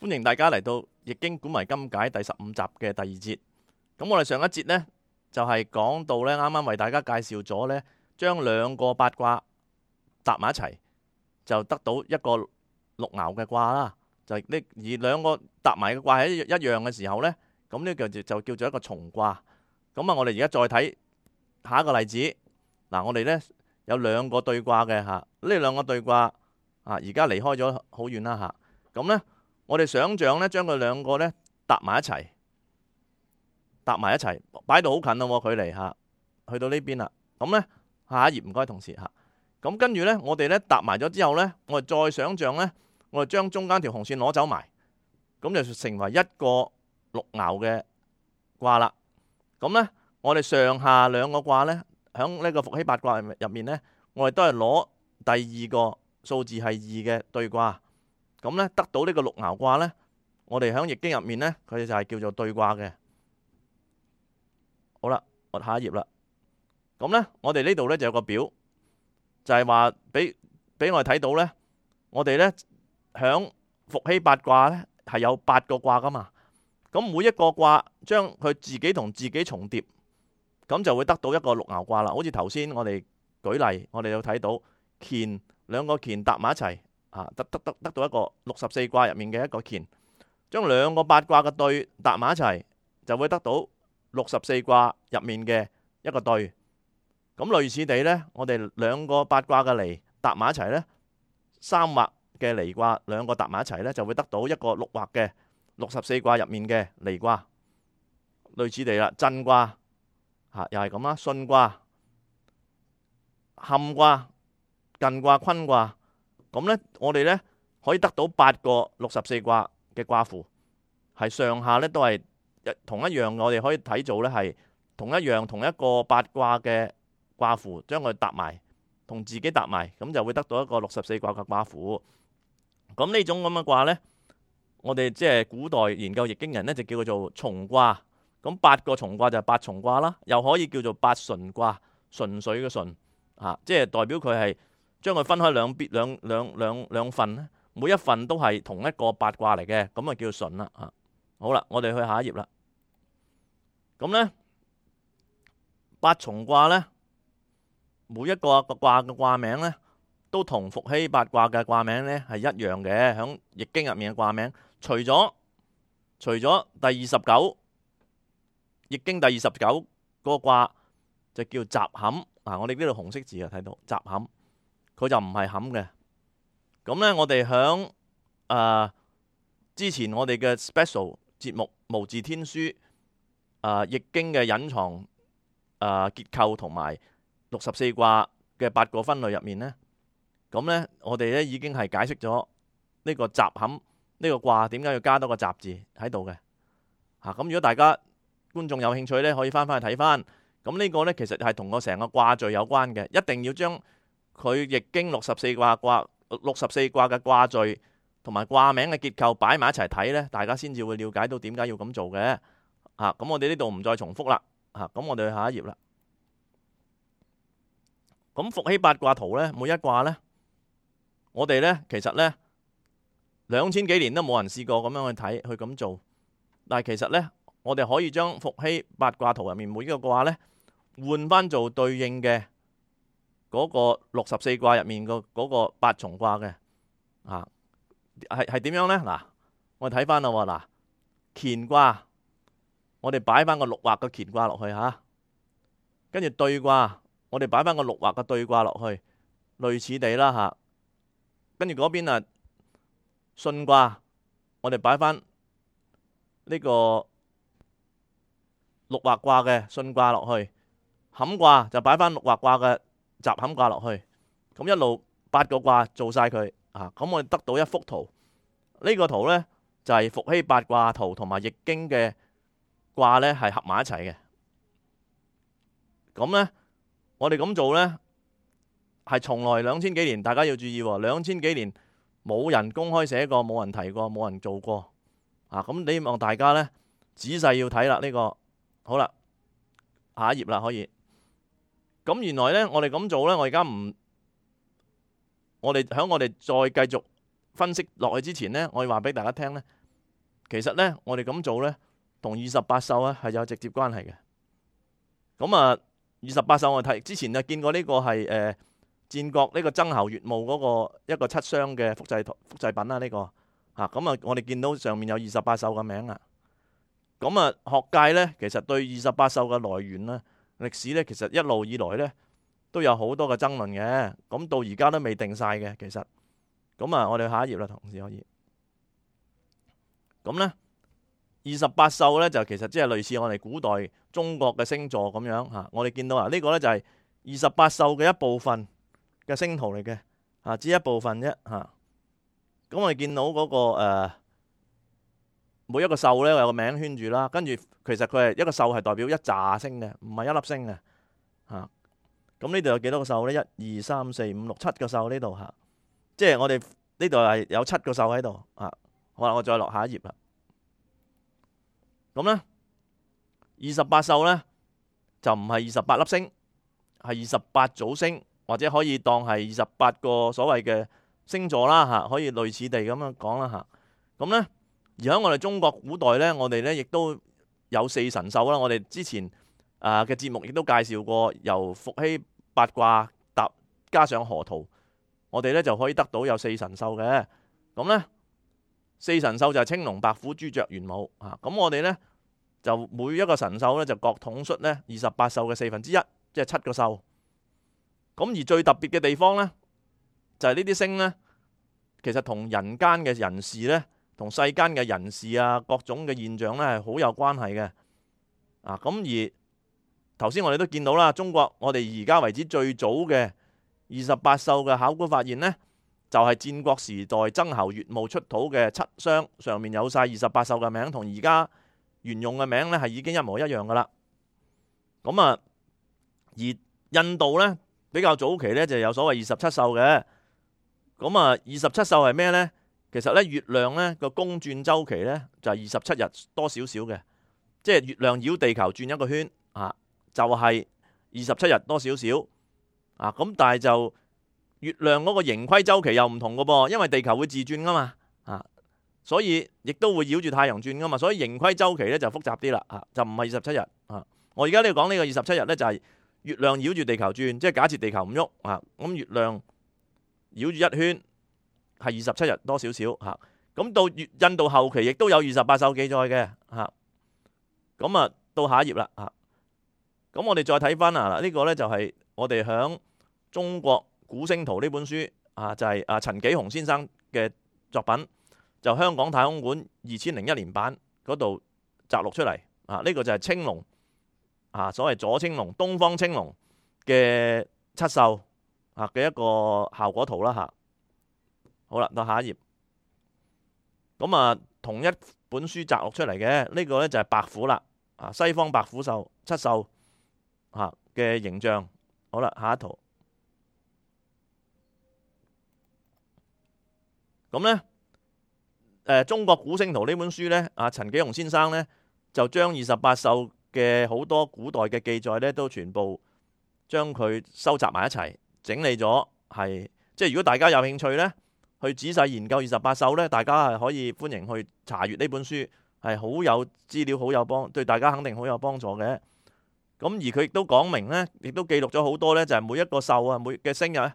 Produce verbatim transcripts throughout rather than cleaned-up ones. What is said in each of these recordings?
歡迎大家嚟到《易經古謎今解》第十五集嘅第二節。咁我哋上一節呢，就係講到呢，啱啱為大家介紹咗呢，將兩個八卦搭埋一齊，就得到一個六爻嘅卦啦。就係呢，而兩個搭埋嘅卦係一一樣嘅時候呢，咁呢個就就叫做一個重卦。咁啊，我哋而家再睇下一個例子。嗱，我哋呢有兩個對卦嘅嚇，呢兩個對卦啊，而家離開咗好遠啦嚇。咁呢，我哋想像呢，將佢兩個呢搭埋一齊，搭埋一齊，擺到好近咯，距離嚇，去到呢邊啦。咁呢，下一頁唔該，同事嚇。咁跟住呢，我哋呢搭埋咗之後呢，我哋再想像呢，我哋將中間條紅線攞走埋，咁就成為一個六爻嘅卦啦。咁呢，我哋上下兩個卦呢，喺呢個伏羲八卦入面呢，我哋都係攞第二個數字係二嘅對卦。咁呢，得到呢個六爻卦呢，我哋喺易經入面呢，佢哋就係叫做對卦嘅。好啦，我下一頁啦。咁呢，我哋呢度呢就有個表，就係話俾俾我哋睇到呢，我哋呢響伏羲八卦呢係有八個卦噶嘛。咁每一個卦將佢自己同自己重疊，咁就會得到一個六爻卦啦。好似頭先我哋舉例，我哋有睇到乾兩個乾搭埋一齊。啊，得得得得到一個六十四卦入面嘅一個乾，將兩個八卦嘅對搭埋一齊，就會得到六十四卦入面嘅一個對。咁類似地呢，我哋兩個八卦嘅離搭埋一齊呢，三畫嘅離卦兩個搭埋一齊呢，就會得到一個六畫嘅六十四卦入面嘅離卦。類似地啦，震卦嚇又係咁啦，巽卦、坎卦、艮卦、坤卦。咁呢，我哋呢可以得到八個六十四卦嘅卦符，係上下呢都係同一樣。我哋可以睇做呢係同一樣同一個八卦嘅卦符，將佢搭埋，同自己搭埋，咁就會得到一個六十四卦嘅卦符。咁呢種咁嘅卦呢，我哋即係古代研究易經人呢，就叫做重卦。咁八個重卦就係八重卦啦，又可以叫做八純卦，純粹嘅純啊，即係代表佢係。將佢分開兩邊兩兩兩兩份咧，每一份都係同一個八卦嚟嘅，咁啊叫純啦嚇。好啦，我哋去下一頁啦。咁呢，八重卦呢，每一個個卦嘅卦名呢，都同伏羲八卦嘅卦名呢係一樣嘅，喺易經入面嘅卦名。除咗除咗第二十九易經第二十九嗰個卦就叫習坎嗱，我哋呢度紅色字啊睇到習坎。佢就唔係坎嘅。咁呢，我哋響誒之前我哋嘅 special 節目《無字天書》誒、呃、易經嘅隱藏誒、呃、結構同埋六十四卦嘅八個分類入面呢，咁呢，我哋呢已經係解釋咗呢個習坎呢個卦點解要加多個習字喺度嘅嚇。咁、啊、如果大家觀眾有興趣呢，可以翻翻去睇翻。咁呢個呢，其實係同個成個卦序有關嘅，一定要將佢易經六十四卦卦六十四卦嘅卦序同埋卦名嘅結構擺埋一齊睇呢，大家先至會了解到點解要咁做嘅。嚇、啊，咁我哋呢度唔再重複啦。嚇、啊，咁我哋去下一頁啦。咁伏羲八卦圖呢，每一卦呢，我哋呢其實呢兩千幾年都冇人試過咁樣去睇去咁做。但係其實呢，我哋可以將伏羲八卦圖入面每一個卦呢換翻做對應嘅嗰個六十四卦入面個嗰個八重卦嘅，啊，係係點樣呢？嗱，我哋睇翻啦喎，嗱，乾卦，我哋擺翻個六畫嘅乾卦落去嚇，跟住兌卦，我哋擺翻個六畫嘅兌卦落去，類似地啦嚇。跟住嗰邊啊，巽卦，我哋擺翻呢個六畫卦嘅巽卦落去，坎卦就擺翻六畫卦嘅習坎卦落去，咁一路八個卦做晒佢啊！咁我哋得到一幅圖，呢、這個圖呢，就係、是、伏羲八卦圖同埋易經嘅卦呢係合埋一齊嘅。咁呢，我哋咁做呢，係從來兩千幾年，大家要注意喎，兩千幾年冇人公開寫過，冇人提過，冇人做過啊！咁希望大家呢，仔細要睇啦，呢、這個好啦，下一頁啦，可以。咁原來呢，我哋咁做呢，我而家唔，我哋喺我哋再繼續分析落去之前呢，我要話俾大家聽呢，其實咧我哋咁做咧，同二十八宿咧係有直接關係嘅。咁啊，二十八宿我睇之前就見過呢個係誒、呃、戰國呢個曾侯乙墓嗰個一個七傷嘅複製複製品啦，呢、這個嚇咁啊，我哋見到上面有二十八宿嘅名啊。咁啊，學界咧其實對二十八宿嘅來源啦、歷史咧，其實一路以來咧都有好多嘅爭論嘅。咁到而家都未定晒嘅，其實。咁啊，我哋下一頁啦，同事可以。咁咧，二十八宿咧就其實即係類似我哋古代中國嘅星座咁樣嚇。我哋見到啊，呢個咧就係二十八宿嘅一部分嘅星圖嚟嘅嚇，只一部分啫嚇。咁我哋見到嗰個誒每一個宿咧有個名圈住啦，跟住其實佢係一個宿係代表一紮星嘅，唔係一粒星嘅嚇。咁呢度有幾多個宿咧？一二三四五六七個宿呢度嚇，即係我哋呢度係有七個宿喺度啊。好啦，我再落下一頁啦。咁咧，二十八宿咧就唔係二十八粒星，係二十八組星，或者可以當係二十八個所謂嘅星座啦嚇，可以類似地咁樣講啦嚇。咁咧，而喺我哋中國古代咧，我哋咧亦都有四神獸啦。我哋之前啊嘅節目亦都介紹過，由伏羲八卦搭加上河圖，我哋咧就可以得到有四神獸嘅。咁咧。四神獸就係青龍、白虎、朱雀、玄武啊！咁我哋咧就每一個神獸咧就各統率咧二十八宿嘅四分之一，即係七個宿。咁而最特別嘅地方咧，就係呢啲星咧，其實同人間嘅人事咧，同世間嘅人事啊，各種嘅現象咧係好有關係嘅啊！咁而頭先我哋都見到啦，中國我哋而家為止最早嘅二十八宿嘅考古發現咧，就係戰國時代曾侯乙墓出土嘅七傷，上面有晒二十八宿嘅名，同而家沿用嘅名咧係已經一模一樣噶啦。咁啊，而印度咧比較早期咧就有所謂二十七宿嘅。咁啊，二十七宿係咩咧？其實咧月亮咧個公轉周期咧就係二十七日多少少嘅，即係月亮繞地球轉一個圈啊，就係二十七日多少少啊。咁但係就月亮嗰個盈虧周期又唔同嘅噃，因為地球會自轉噶嘛，啊，所以亦都會繞住太陽轉噶嘛，所以盈虧周期咧就複雜啲啦，啊，就唔係二十七日啊。我而家呢度講呢個二十七日咧就係月亮繞住地球轉，即係假設地球唔喐啊，咁月亮繞住一圈係二十七日多少少嚇。咁到印度後期亦都有二十八宿記載嘅嚇。咁啊到下一頁啦嚇。咁我哋再睇翻啊嗱，呢個咧就係我哋響中國古星圖呢本書啊，就係啊陳紀鴻先生嘅作品，就香港太空館二千零一年版嗰度摘錄出嚟啊。呢個就係青龍啊，所謂左青龍、東方青龍嘅七宿啊嘅一個效果圖啦嚇。好啦，到下一頁。咁啊，同一本書摘錄出嚟嘅呢個咧就係白虎啦啊，西方白虎獸七宿啊嘅形象。好啦，下一圖。咁咧，誒中國古星圖呢本書咧，啊陳紀鴻先生咧就將二十八宿嘅好多古代嘅記載咧，都全部將佢收集埋一齊，整理咗係，即係如果大家有興趣咧，去仔細研究二十八宿咧，大家係可以歡迎去查閱呢本書，係好有資料，好有幫，對大家肯定好有幫助嘅。咁而佢亦都講明咧，亦都記錄咗好多咧，就係每一個宿啊，每嘅星啊，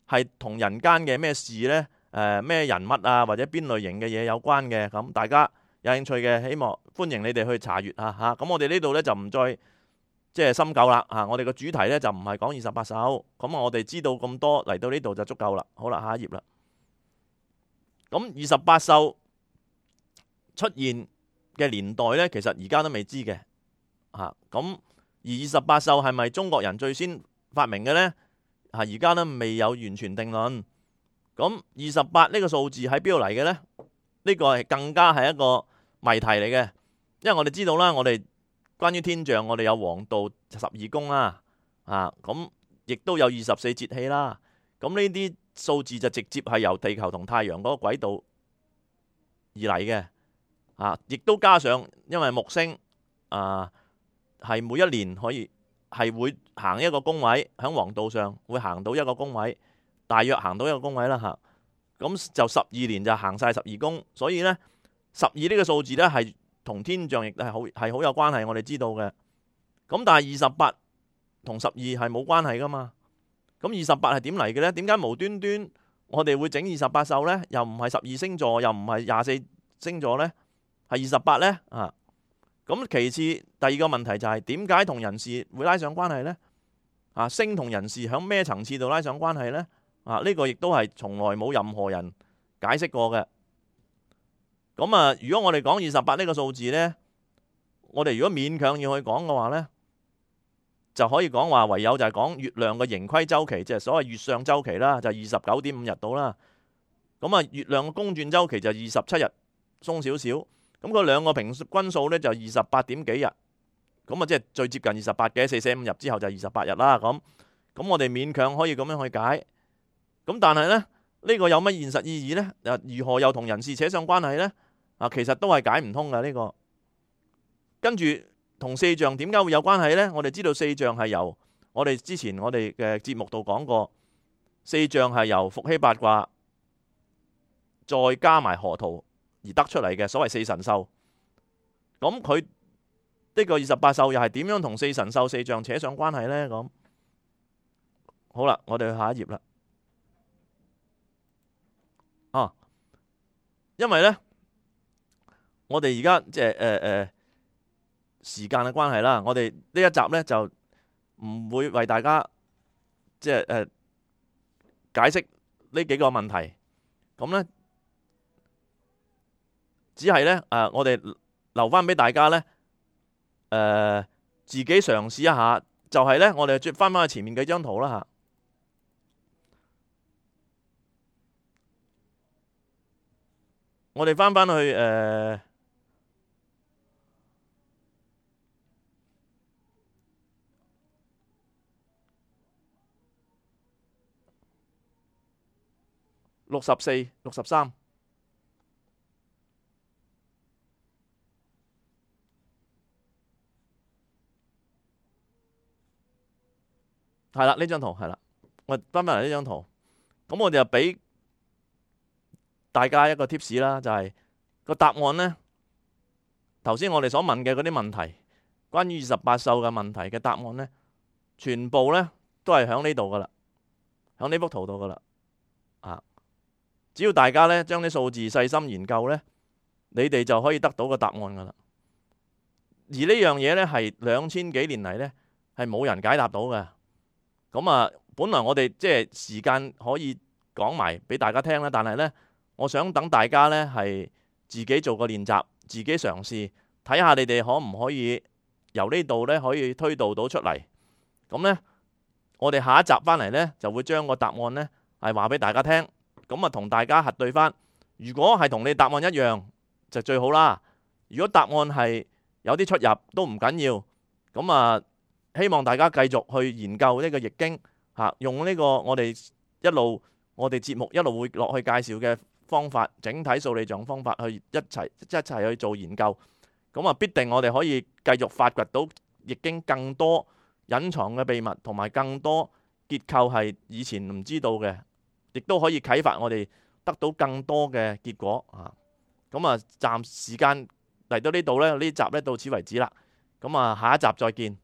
係同人間嘅咩事咧？誒咩、呃、人物啊，或者邊類型嘅嘢有關嘅，咁大家有興趣嘅，希望歡迎你哋去查閱啊嚇。咁我哋呢度咧就唔再即係深究啦嚇。我哋個主題咧就唔係講二十八宿，咁我哋知道咁多嚟到呢度就足夠啦。好啦，下一頁啦。咁二十八宿出現嘅年代咧，其實而家都未知嘅嚇。咁而二十八宿係咪中國人最先發明嘅咧？嚇，而家都未有完全定論。咁二十八呢個數字喺邊度嚟嘅呢？呢個係更加係一個謎題嚟嘅，因為我哋知道啦，我哋關於天象，我哋有黃道十二宮啦，啊，咁亦都有二十四節氣啦。咁呢啲數字就直接係由地球同太陽嗰個軌道而嚟嘅，啊，亦都加上因為木星啊係每一年可以係會行一個宮位，喺黃道上會行到一個宮位。大約行到一個宮位啦嚇，咁就十二年就行晒十二宮，所以呢，十二呢個數字呢係同天象亦係好係好有關係，我哋知道嘅。咁但係二十八同十二係冇關係噶嘛？咁二十八係點嚟嘅呢？點解無端端我哋會整二十八宿呢？又唔係十二星座，又唔係廿四星座呢？係二十八呢？啊！咁其次第二個問題就係點解同人事會拉上關係呢？啊，星同人事響咩層次度拉上關係呢？啊，呢個亦都係從來冇任何人解釋過嘅。咁啊，如果我哋講二十八呢個數字呢，我哋如果勉強要去講嘅話呢，就可以講話唯有就係講月亮嘅盈虧周期，即係所謂月相周期啦，就二十九點五日到啦。咁啊，月亮嘅公轉周期就二十七日鬆少少。咁佢兩個平均數呢，就二十八點幾日，咁啊即係最接近二十八嘅，四捨五入之後就二十八日啦。咁咁我哋勉強可以咁樣去解。咁但係呢，呢個有乜現實意義呢？如何又同人事扯上關係呢？啊，其實都係解唔通嘅呢個。跟住同四象點解會有關係呢？我哋知道四象係由我哋之前我哋嘅節目度講過，四象係由伏羲八卦再加埋河圖而得出嚟嘅，所謂四神獸。咁佢呢個二十八宿又係點樣同四神獸四象扯上關係呢？咁好啦，我哋去下一頁啦。啊，因為呢，我哋而家即係誒誒時間嘅關係啦，我哋呢一集呢就唔會為大家即係誒解釋呢幾個問題。咁呢，只係呢，誒，我哋留翻俾大家呢，誒自己嘗試一下。就係呢，我哋轉翻翻去前面幾張圖啦嚇。我哋翻翻去誒六十四、六十三，係啦，呢張圖係啦，我翻翻嚟呢張圖，咁我哋就俾大家一個 tips 啦，就係個答案呢。頭先我哋所問嘅嗰啲問題，關於二十八宿嘅問題嘅答案呢，全部呢都係喺呢度噶啦，喺呢幅圖度噶啦。啊，只要大家呢將啲數字細心研究呢，你哋就可以得到個答案噶啦。而呢樣嘢呢，係兩千幾年嚟呢，係冇人解答到嘅。咁啊，本來我哋即係時間可以講埋俾大家聽啦，但係呢，我想等大家呢係自己做個練習，自己嘗試睇下你哋可唔可以由呢度呢可以推導到出嚟。咁呢，我哋下一集翻嚟呢，就會將個答案呢係話俾大家聽。咁啊，同大家核對翻。如果係同你答案一樣，就最好啦。如果答案係有啲出入，都唔緊要。咁啊，希望大家繼續去研究呢個易經嚇，用呢個我哋一路我哋節目一路會落去介紹嘅方法，整體數理象方法去一齊一齊去做研究。咁啊，必定我哋可以繼續發掘到易經更多隱藏嘅秘密，同埋更多結構係以前唔知道嘅，亦都可以啟發我哋得到更多嘅結果啊！咁啊，暫時間嚟到呢度呢，呢集呢到此為止啦。咁啊，下一集再見。